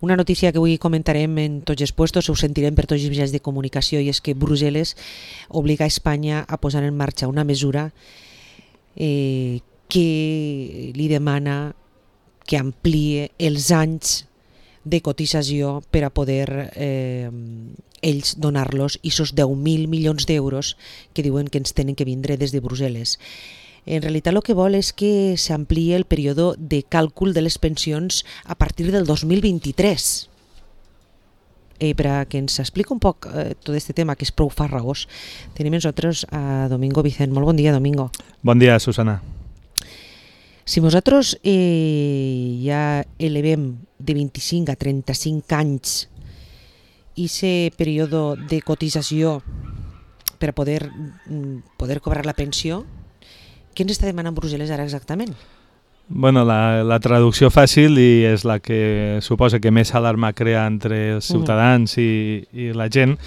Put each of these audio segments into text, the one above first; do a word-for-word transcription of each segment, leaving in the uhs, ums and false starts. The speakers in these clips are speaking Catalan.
Una notícia que avui comentarem en tots els puestos, ho sentirem per tots els mitjans de comunicació, i és que Brussel·les obliga a Espanya a posar en marxa una mesura eh, que li demana que ampliï els anys de cotització per a poder eh, ells donar-los aquests deu mil milions d'euros que diuen que ens tenen que vindre des de Brussel·les. En realitat el que vol és que s'ampliï el període de càlcul de les pensions a partir del dos mil vint-i-tres. Eh, per a que ens expliqui un poc eh, tot aquest tema, que és prou farragós, tenim nosaltres a Domingo Vicent. Molt bon dia, Domingo. Bon dia, Susana. Si nosaltres eh, ja elevem de vint-i-cinc a trenta-cinc anys aquest període de cotització per a poder, poder cobrar la pensió, què ens està demanant Brussel·les ara exactament? Bueno, la, la traducció fàcil, i és la que suposa que més alarma crea entre els ciutadans uh-huh. i, i la gent,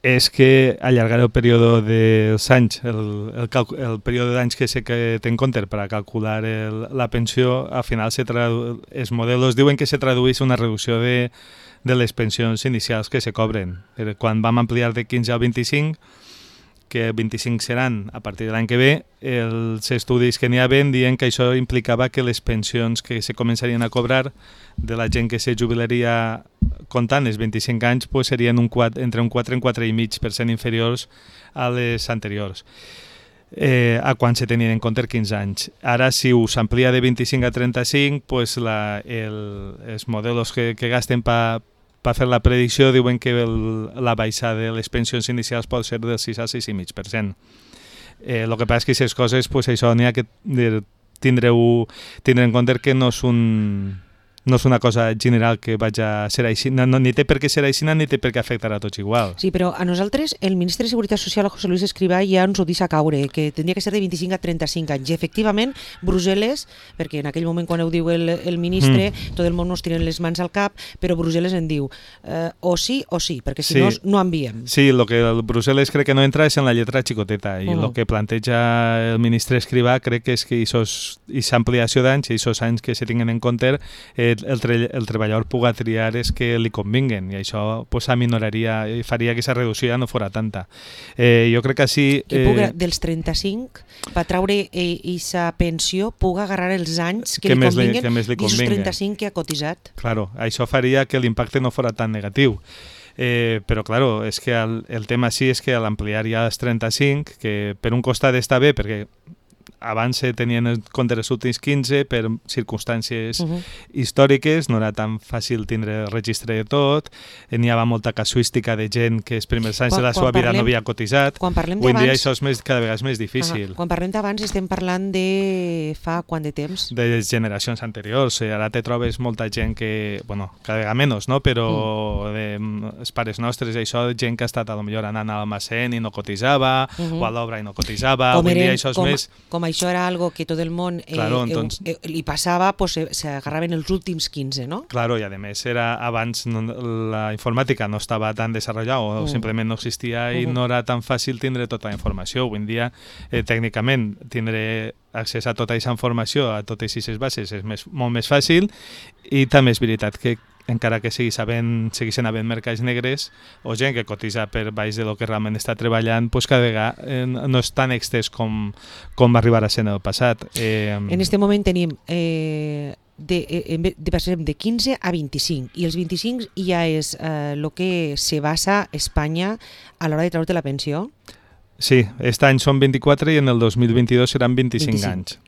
és que allargar el període dels anys, el, el, el període d'anys que se que té en compte per a calcular el, la pensió, al final se tradu, els models diuen que se tradueix una reducció de, de les pensions inicials que se cobren. Quan vam ampliar de quinze al vint-i-cinc, que vint-i-cinc seran a partir de l'any que ve, els estudis que n'hi havien diuen que això implicava que les pensions que se començarien a cobrar de la gent que se jubilaria comptant els vint-i-cinc anys pues serien un quatre, entre un quatre i un quatre coma cinc per cent inferiors a les anteriors, eh, a quan se tenien en compte quinze anys. Ara, si us amplia de vint-i-cinc a trenta-cinc, pues la, el, els models que, que gasten per per fer la predicció diuen que el, la baixada de les pensions inicials pot ser del sis al sis coma cinc per cent. El eh, que passa és que aquestes coses, pues, això n'hi ha que tindreu, tindre en compte que no és un... no és una cosa general que vaig a ser així, no, no, ni té per què ser així ni té per què afectar a tots igual. Sí, però a nosaltres el ministre de Seguretat Social, José Luis Escrivá, ja ens ho deixa caure, que tindria que ser de vint-i-cinc a trenta-cinc anys. I efectivament, Brussel·les, perquè en aquell moment quan ho diu el, el ministre, mm. tot el món nos tiren les mans al cap, però Brussel·les en diu eh, o sí o sí, perquè si sí. no, no enviem. Sí, el que el Brussel·les crec que no entra és en la lletra xicoteta, i el uh -huh. que planteja el ministre Escrivá crec que és que aquesta ampliació d'anys i aquests anys que se tinguen en compte eh, El, tre el treballador puga triar és que li convinguen, i això pues, aminoraria i faria que aquesta reducció ja no fora tanta. Eh, jo crec que així... Que puga, eh, dels trenta-cinc, per treure aquesta eh, pensió, puga agarrar els anys que, que li convinguen i els trenta-cinc que ha cotitzat. Claro, això faria que l'impacte no fora tan negatiu. Eh, però, claro, és que el, el tema sí és que a l'ampliar ja els trenta-cinc, que per un costat està bé, perquè abans se tenien en compte els últims quinze per circumstàncies uh-huh. històriques, no era tan fàcil tindre el registre de tot, n'hi havia molta casuística de gent que els primers anys quan, de la seva vida no havia cotitzat. Quan parlem Avui en dia això és més, cada vegada és més difícil. Uh-huh. Quan parlem d'abans estem parlant de fa quant de temps? De les generacions anteriors. Ara te trobes molta gent que, bueno, cada vegada menys, no? Però uh-huh. de, els pares nostres, això, gent que ha estat a lo millor anant a l'almacén i no cotitzava, uh-huh. o a l'obra i no cotitzava. Com Avui en dia eren, això és com, més... Com això era algo que tot el món eh, claro, entonces, eh, eh, li passava, pues, s'agarraven els últims quinze, no? Claro, i a més era abans no, la informàtica no estava tan desenvolupada o uh. simplement no existia i uh -huh. no era tan fàcil tindre tota la informació. Avui en dia, eh, tècnicament, tindre accés a tota aquesta informació, a totes aquestes bases, és més, molt més fàcil, i també és veritat que encara que sigui sabent, segueixen havent mercats negres o gent que cotitza per baix de lo que realment està treballant, pues cada vegada eh, no és tan extès com, com va arribar a ser en el passat. Eh, en aquest moment tenim eh, de, de, de, de quinze a vint-i-cinc, i els vint-i-cinc ja és el eh, que se basa Espanya a l'hora de treure la pensió? Sí, aquest any són vint-i-quatre i en el dos mil vint-i-dos seran vint-i-cinc, vint-i-cinc anys.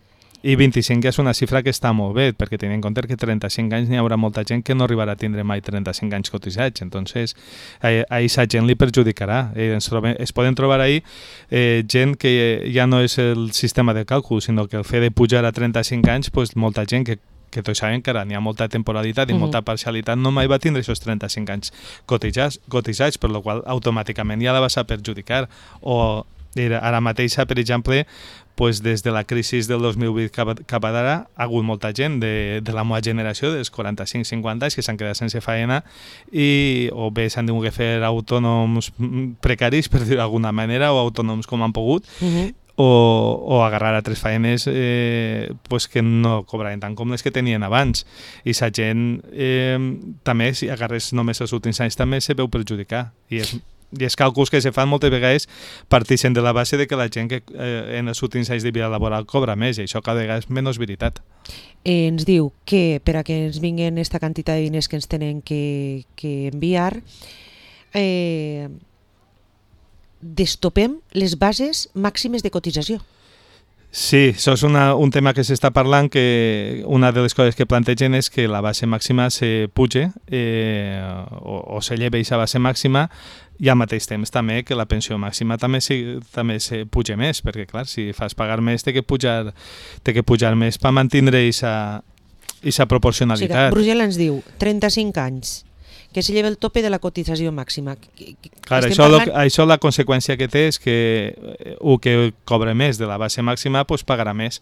I vint-i-cinc és una xifra que està molt bé, perquè tenint en compte que trenta-cinc anys n'hi haurà molta gent que no arribarà a tindre mai trenta-cinc anys cotitzats, entonces a aquesta gent li perjudicarà. Eh, ens, trobem, es poden trobar ahí eh, gent que ja no és el sistema de càlcul, sinó que el fet de pujar a trenta-cinc anys, pues, molta gent que que tots sabem que ara n'hi ha molta temporalitat i uh-huh. molta parcialitat, no mai va tindre aquests trenta-cinc anys cotitzats, cotitzats per la qual automàticament ja la vas a perjudicar. O ara mateix, per exemple, pues des de la crisi del dos mil vuit cap, cap a d'ara ha hagut molta gent de, de la meva generació, dels quaranta-cinc cinquanta anys, que s'han quedat sense feina i o bé s'han tingut que fer autònoms precaris, per dir-ho d'alguna manera, o autònoms com han pogut, uh-huh. o, o agarrar altres faenes eh, pues que no cobraven tant com les que tenien abans. I la gent eh, també, si agarres només els últims anys, també se veu perjudicar. I és I els càlculs que se fan moltes vegades parteixen de la base de que la gent que eh, en els últims anys de vida laboral cobra més, i això cada vegada és menys veritat. Eh, ens diu que per a que ens vinguin aquesta quantitat de diners que ens tenen que, que enviar, eh, destopem les bases màximes de cotització. Sí, això és una, un tema que s'està parlant, que una de les coses que plantegen és que la base màxima se puge eh, o, o se lleva aquesta base màxima, i al mateix temps també que la pensió màxima també se, també se puja més, perquè clar, si fas pagar més té que pujar, té que pujar més per mantenir aquesta proporcionalitat. O sigui, Brussel·les ens diu trenta-cinc anys, que se lleva el tope de la cotització màxima. Clar, això, parlant... lo, això la conseqüència que té és que el que cobra més de la base màxima pues, pagarà més.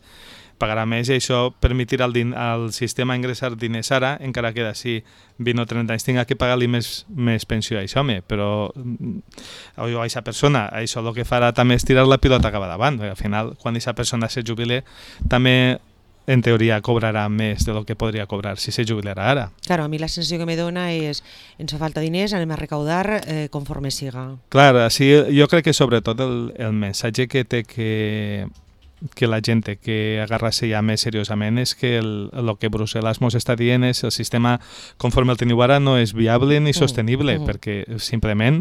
Pagarà més i això permetirà al, din al sistema ingressar diners ara, encara que d'ací vint o trenta anys tinga que pagar-li més, més pensió a això, home, però a aquesta persona això el que farà també és tirar la pilota cap davant. Al final, quan aquesta persona se jubile, també en teoria cobrarà més de lo que podria cobrar si se jubilarà ara. Claro, a mi la sensació que me dona és ens fa falta diners, anem a recaudar eh, conforme siga. Clar, així, jo crec que sobretot el, el missatge que té que, que la gent té que agarrar-se ja més seriosament és que el, el que Brussel·les ens està dient és el sistema conforme el teniu ara no és viable ni sostenible, mm, mm. perquè simplement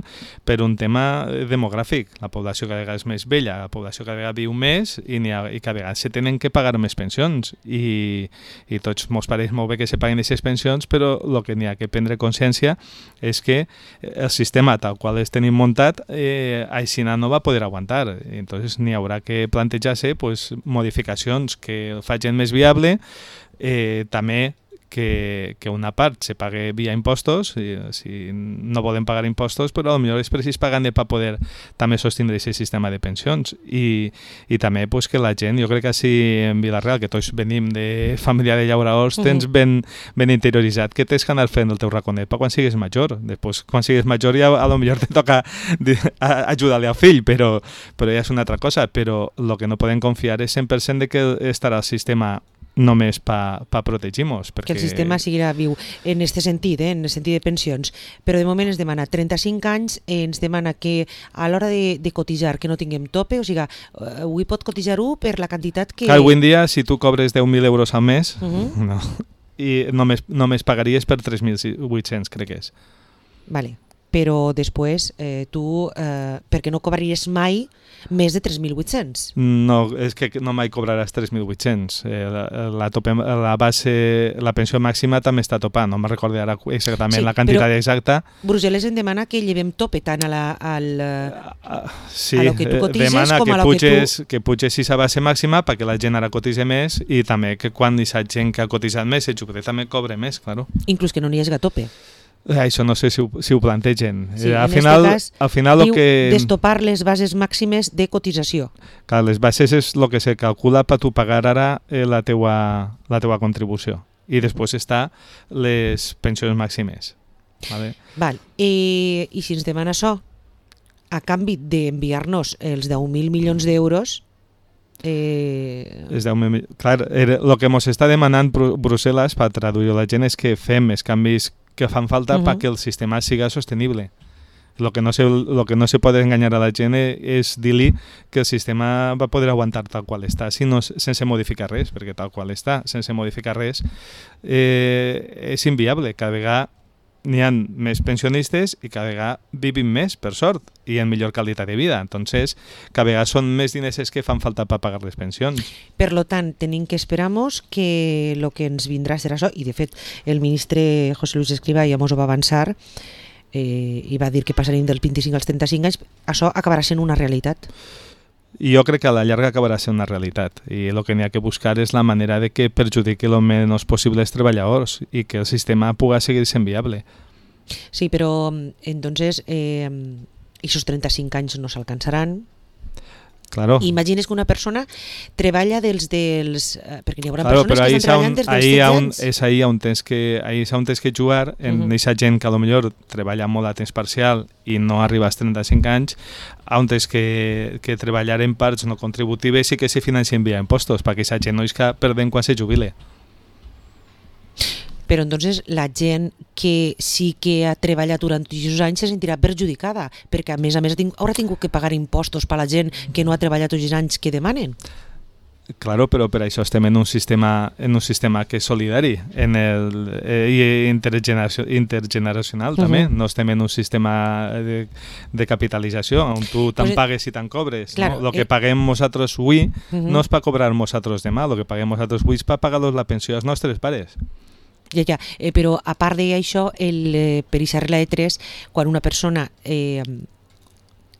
per un tema demogràfic. La població cada vegada és més vella, la població cada vegada viu més i, ha, i cada vegada se tenen que pagar més pensions i, i tots mos pareix molt bé que se paguen aquestes pensions, però el que n'hi ha que prendre consciència és que el sistema tal qual es tenim muntat eh, així no va poder aguantar. I entonces n'hi haurà que plantejar-se pues, modificacions que el facin més viable, eh, també que, que una part se pague via impostos, i, si no volen pagar impostos, però potser és precís pagar-ne per poder també sostindre aquest sistema de pensions. I, i també pues, que la gent, jo crec que així en Vila-real, que tots venim de família de llauraors, tens ben, ben interioritzat que tens que anar fent el teu raconet per quan siguis major. Després, quan siguis major, ja a lo millor te toca ajudar-li al fill, però, però ja és una altra cosa. Però el que no podem confiar és cent per cent de que estarà el sistema només per pa protegir-nos. Perquè... Que el sistema seguirà viu en aquest sentit, eh, en el sentit de pensions, però de moment ens demana trenta-cinc anys, eh, ens demana que a l'hora de, de cotitzar que no tinguem tope, o sigui, eh, avui pot cotitzar-ho per la quantitat que... Clar, avui en dia, si tu cobres deu mil euros al mes, uh -huh. no, i només, només pagaries per tres mil vuit-cents, crec que és. Vale. Però després eh, tu, eh, perquè no cobraries mai més de tres mil vuit-cents? No, és que no mai cobraràs tres mil vuit-cents. Eh, la, la, topem, la base, la pensió màxima també està topant, no me'n recordo ara exactament sí, la quantitat exacta. Brussel·les en demana que llevem tope tant a, la, al, uh, sí, a lo que tu cotitzes demana com que a lo puges, que tu... que puges aquesta base màxima perquè la gent ara cotitze més i també que quan aquesta gent que ha cotitzat més se jubile també cobre més, claro. Inclús que no n'hi hagi tope. Això no sé si ho, si ho plantegen. Sí, al en final, este cas, al final diu que... destopar les bases màximes de cotització. Clar, les bases és el que se calcula per tu pagar ara eh, la, teua, la teua contribució. I després està les pensions màximes. Vale? Val. I, I si ens demana això, a canvi d'enviar-nos els deu mil milions d'euros... Eh... Els deu mil... Clar, el que ens està demanant Brussel·les per traduir la gent és que fem els canvis que fan falta uh -huh. perquè el sistema siga sostenible. Lo que no se, lo que no se pot enganyar a la gent és dir-li que el sistema va poder aguantar tal qual està, si no, sense modificar res, perquè tal qual està, sense modificar res, eh, és inviable. Cada vegada n'hi ha més pensionistes i cada vegada vivim més, per sort, i en millor qualitat de vida. Entonces, cada vegada són més diners que fan falta per pagar les pensions. Per lo tant, tenim que esperar-nos que el que ens vindrà serà això, i de fet el ministre José Luis Escrivá ja mos ho va avançar eh, i va dir que passaríem dels vint-i-cinc als trenta-cinc anys, això acabarà sent una realitat. I jo crec que a la llarga acabarà sent una realitat i el que n'hi ha que buscar és la manera de que perjudiqui el menys possible els treballadors i que el sistema pugui seguir sent viable. Sí, però entonces eh, aquests trenta-cinc anys no s'alcançaran. Claro. Imagines que una persona treballa dels... dels eh, perquè hi haurà claro, persones que estan treballant un, des dels setze anys. És ahir on tens que, ahir on tens que jugar, en aquesta uh -huh. gent que potser treballa molt a temps parcial i no arriba als trenta-cinc anys, on tens que, que treballar en parts no contributives i que se financien via impostos, perquè aquesta gent no és que perdem quan se jubile. Però entonces la gent que sí que ha treballat durant aquests anys se sentirà perjudicada, perquè a més a més haurà tingut que pagar impostos per a la gent que no ha treballat aquests anys que demanen. Claro, però per això estem en un sistema, en un sistema que és solidari en el, eh, i intergeneracional, intergeneracional uh-huh. també. No estem en un sistema de, de capitalització on tu te'n pues, pagues i te'n cobres. Claro, no? El que eh... paguem nosaltres avui uh-huh. no és per cobrar nosaltres demà, el que paguem nosaltres avui és per pagar la pensió als nostres pares. Ja, ja. Eh, però a part d'això, eh, per aquesta regla de tres, quan una persona eh,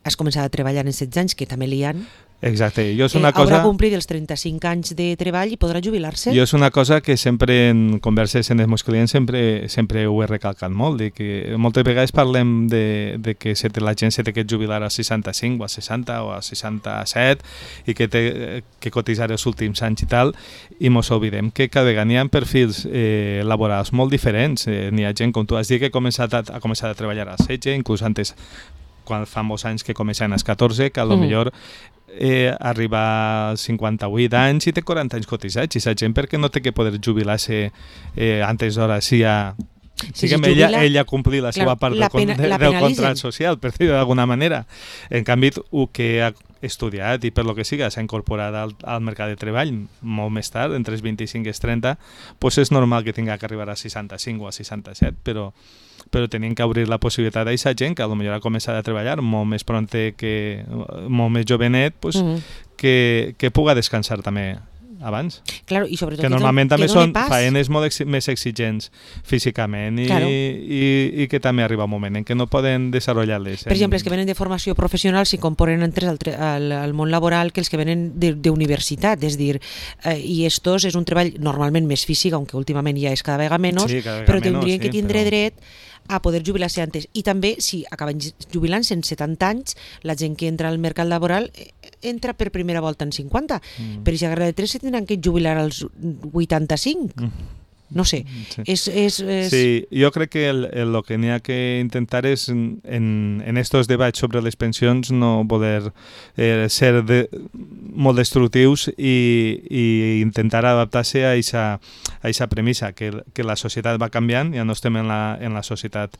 has començat a treballar en setze anys, que també li han, exacte. Jo és una eh, cosa... haurà complit els trenta-cinc anys de treball i podrà jubilar-se. Jo és una cosa que sempre en converses amb els meus clients sempre, sempre ho he recalcat molt, de que moltes vegades parlem de, de que se te, la gent se té que jubilar a seixanta-cinc o a seixanta o a seixanta-set i que té que cotitzar els últims anys i tal, i mos oblidem que cada vegada n'hi ha perfils eh, laborals molt diferents. Eh, n'hi ha gent, com tu has dit, que ha començat a, ha començat a treballar als setze, inclús antes, quan fa molts anys que començaven als catorze, que a lo mm. millor Eh, arriba als cinquanta-vuit anys i té quaranta anys cotitzats, i la gent perquè no té que poder jubilar-se eh, antes d'hora si ha... Sí, diguem, si ella, ella complir la seva part del, pena, de, del contracte social, per dir-ho d'alguna manera. En canvi, el que ha estudiat i per lo que siga s'ha incorporat al, al mercat de treball molt més tard, entre els vint-i-cinc i els trenta, pues és normal que tinga que arribar a seixanta-cinc o a seixanta-set, però però tenim que obrir la possibilitat a aquesta gent que potser ha començat a treballar molt més pronte, que molt més jovenet, pues, mm-hmm. que, que puga descansar també abans. Claro, i sobretot que normalment també són faenes molt ex més exigents físicament i, claro. i, i que també arriba un moment en què no poden desenvolupar-les. Per exemple, els que venen de formació professional s'hi componen entre al, al, al món laboral que els que venen d'universitat, és dir, eh, i estos és un treball normalment més físic, aunque últimament ja és cada vegada menys, sí, cada vegada però menos, tindrien sí, que tindre però... dret a poder jubilar-se antes. I també, si acaben jubilant-se en setanta anys, la gent que entra al mercat laboral entra per primera volta en cinquanta. Mm. Per aquesta regla de tres se tindran que jubilar als vuitanta-cinc. Mm. No sé. Sí. És, és, és... sí, jo crec que el, el, el que n'hi ha que intentar és en, en estos debats sobre les pensions no voler eh, ser de, molt destructius i, i intentar adaptar-se a aquesta premissa, que, que la societat va canviant, ja no estem en la, en la societat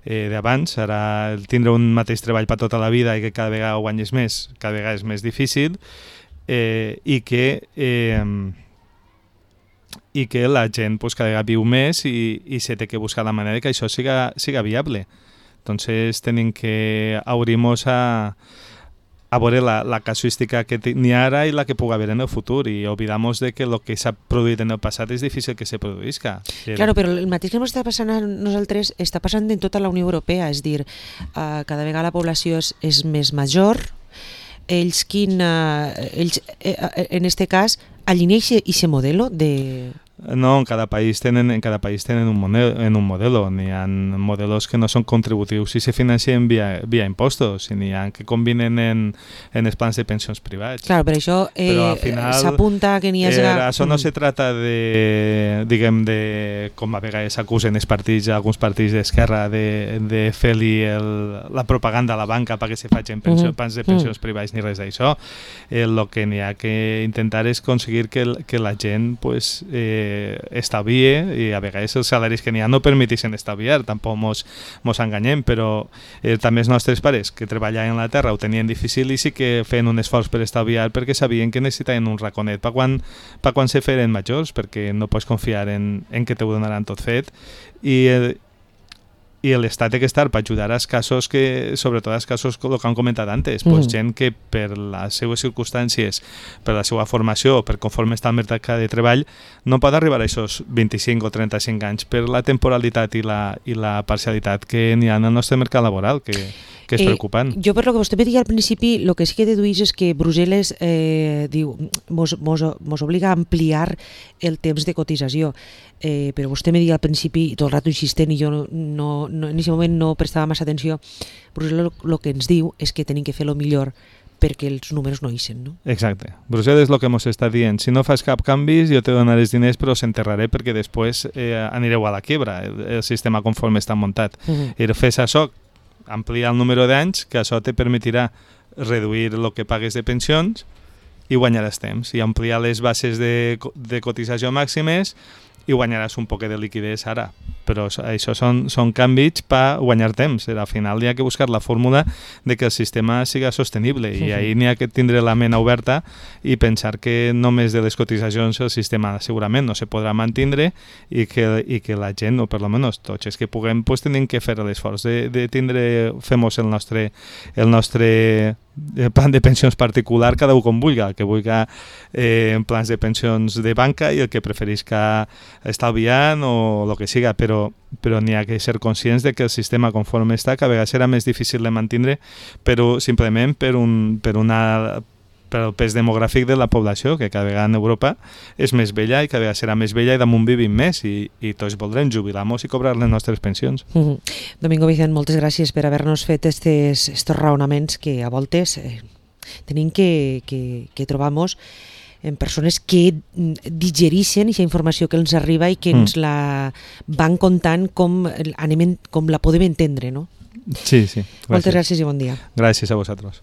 eh, d'abans, ara el tindre un mateix treball per tota la vida i que cada vegada guanyes més, cada vegada és més difícil, eh, i que... Eh, i que la gent pues, cada vegada viu més i, i se té que buscar la manera que això siga, siga viable. Entonces tenim que obrir-nos a, a veure la, la casuística que n'hi ha ara i la que pugui haver en el futur i oblidar-nos de que el que s'ha produït en el passat és difícil que se produïsca. Claro, però el mateix que ens està passant a nosaltres està passant en tota la Unió Europea, és dir, uh, cada vegada la població és, és més major, ells, quin, uh, ells eh, en este cas alinean ese modelo de... No, en cada país tenen, en cada país tenen un modelo, en un modelo. N'hi ha modelos que no són contributius i se financien via, via impostos, i n'hi ha que combinen en, en els plans de pensions privats. Claro, per això eh, s'apunta que n'hi ha... Eh, això no se trata de, diguem, de, com a vegades s'acusen els partits, alguns partits d'esquerra, de, de fer-li la propaganda a la banca perquè se facin pensió, mm. plans de pensions mm. privats ni res d'això. El eh, que n'hi ha que intentar és aconseguir que, que la gent, pues, eh, estalvie, i a vegades els salaris que n'hi ha no permeteixen estalviar, tampoc mos, mos enganyem, però eh, també els nostres pares que treballaven a la terra ho tenien difícil i sí que feien un esforç per estalviar perquè sabien que necessitaven un raconet per quan, per quan se feren majors, perquè no pots confiar en, en que te ho donaran tot fet i eh, i l'Estat té que estar per ajudar als casos que, sobretot als casos que han comentat antes, mm. pues, gent que per les seues circumstàncies, per la seva formació, per conforme està el mercat de treball, no pot arribar a aquests vint-i-cinc o trenta-cinc anys per la temporalitat i la, i la parcialitat que n'hi ha en el nostre mercat laboral, que, que és eh, preocupant. Jo, per lo que vostè me deia al principi, el que sí que deduís és que Brussel·les eh, diu, mos, mos, mos obliga a ampliar el temps de cotització. Eh, però vostè me deia al principi, tot el rato insistent, i jo no, no, en aquest moment no prestava massa atenció, Brussel·les el que ens diu és que tenim que fer el millor perquè els números no ixen, no? Exacte. Brussel·les és el que ens està dient. Si no fas cap canvis, jo te donaré els diners, però s'enterraré perquè després eh, anireu a la quiebra, el, el sistema conforme està muntat. Uh-huh. I fes això, ampliar el número d'anys, que això te permetirà reduir el que pagues de pensions i guanyaràs temps. I ampliar les bases de, de cotització màximes i guanyaràs un poc de liquidez ara. Però això són, són canvis per guanyar temps. Al final hi ha que buscar la fórmula de que el sistema siga sostenible i ahir n'hi ha que tindre la ment oberta i pensar que només de les cotitzacions el sistema segurament no se podrà mantindre i que, i que la gent, o per almenys tots els que puguem, pues, tenim que fer l'esforç de, de tindre, fem-nos el nostre, el nostre plan de pensions particular, cada un com vulgui, el que vulgui eh, en plans de pensions de banca i el que preferisca estalviant o el que siga, però, però n'hi ha que ser conscients de que el sistema conforme està cada vegada serà més difícil de mantindre, però simplement per, un, per una per el pes demogràfic de la població, que cada vegada en Europa és més vella i cada vegada serà més vella i damunt vivim més i, i tots voldrem jubilar-nos i cobrar les nostres pensions. Mm-hmm. Domingo Vicent, moltes gràcies per haver-nos fet estos, estos raonaments que a voltes eh, tenim que, que, que trobar-nos en persones que digerixen aquesta informació que ens arriba i que ens mm. la van contant com, anem, com la podem entendre, no? Sí, sí. Gràcies. Moltes gràcies i bon dia. Gràcies a vosaltres.